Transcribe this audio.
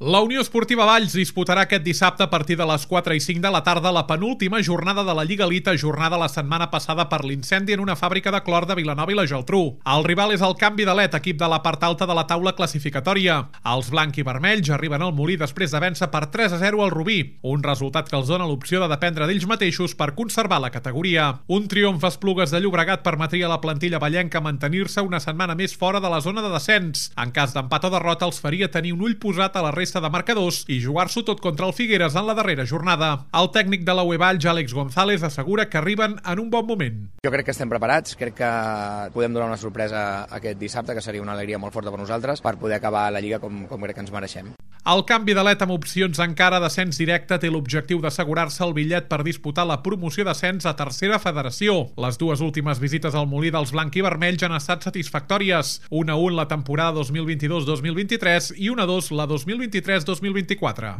La Unió Esportiva Valls disputarà aquest dissabte a partir de les 4 i 5 de la tarda la penúltima jornada de la Lliga Elite, ajornada la setmana passada per l'incendi en una fàbrica de clor de Vilanova i la Geltrú. El rival és el Canvi de Let, equip de la part alta de la taula classificatòria. Els blanc i vermells arriben al Molí després de vèncer per 3-0 al Rubí, un resultat que els dona l'opció de dependre d'ells mateixos per conservar la categoria. Un triomf a Esplugues de Llobregat permetria a la plantilla vallenca mantenir-se una setmana més fora de la zona de descens. En cas d'empat o derrota els faria tenir un ull posat a la resta de marcadors i jugar-s'ho tot contra el Figueres en la darrera jornada. El tècnic de la UE Valls, Àlex González, assegura que arriben en un bon moment. Jo crec que estem preparats, crec que podem donar una sorpresa aquest dissabte, que seria una alegria molt forta per nosaltres, per poder acabar la Lliga com crec que ens mereixem. El Canvi de Let, amb opcions encara d'ascens directe, té l'objectiu d'assegurar-se el bitllet per disputar la promoció d'ascens a tercera federació. Les dues últimes visites al Molí dels blanc i vermells han estat satisfactòries. 1-1 la temporada 2022-2023 i 1-2 la 2023-2024.